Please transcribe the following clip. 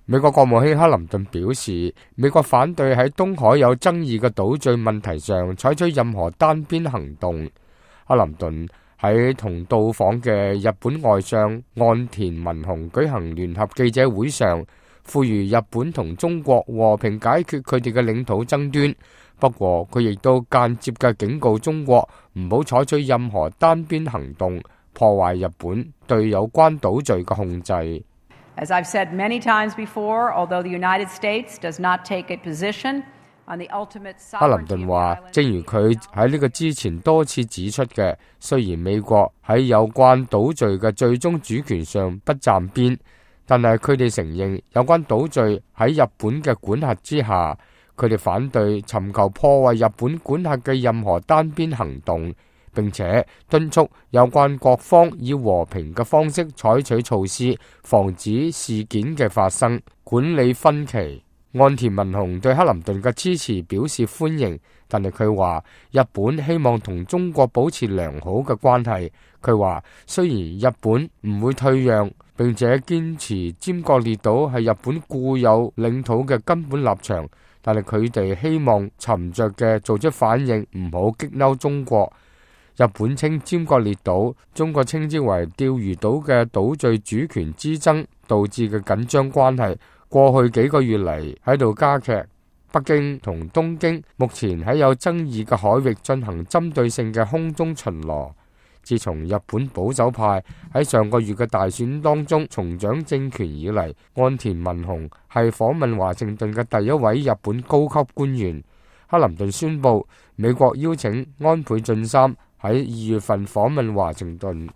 美國國務卿克林頓表示，美國反對喺東海有爭議嘅島嶼問題上採取任何單邊行動。克林頓喺同到訪嘅日本外相岸田文雄舉行聯合記者會上，呼籲日本同中國和平解決佢哋嘅領土爭端。不過，佢亦都間接嘅警告中國唔好採取任何單邊行動，破壞日本對有關島嶼嘅控制。As I've said many times before, although the United States does not take a position on the ultimate sovereignty of the island. 克林頓話，正如佢喺呢個之前多次指出嘅，雖然美國喺有關島嶼嘅最終主權上不站邊，但係佢哋承認有關島嶼喺日本嘅管轄之下，佢哋反對尋求破壞日本管轄嘅任何單邊行動，並且敦促有關各方以和平嘅方式採取措施，防止事件嘅發生，管理分歧。岸田文雄對克林頓嘅支持表示歡迎，但係佢話日本希望同中國保持良好嘅關係。佢話雖然日本唔會退讓，並且堅持尖閣列島係日本固有領土嘅根本立場，但係佢哋希望沉着嘅做出反應，唔好激嬲中國。日本稱尖閣列島，中國稱之為釣魚島嘅島嶼主權之爭導致嘅緊張關係，過去幾個月嚟喺度加劇。北京同東京目前喺有爭議嘅海域進行針對性嘅空中巡邏。自從日本保守派喺上個月嘅大選當中重掌政權以嚟，岸田文雄係訪問華盛頓嘅第一位日本高級官員。克林頓宣布，美國邀請安倍晉三喺2月份訪問華盛頓。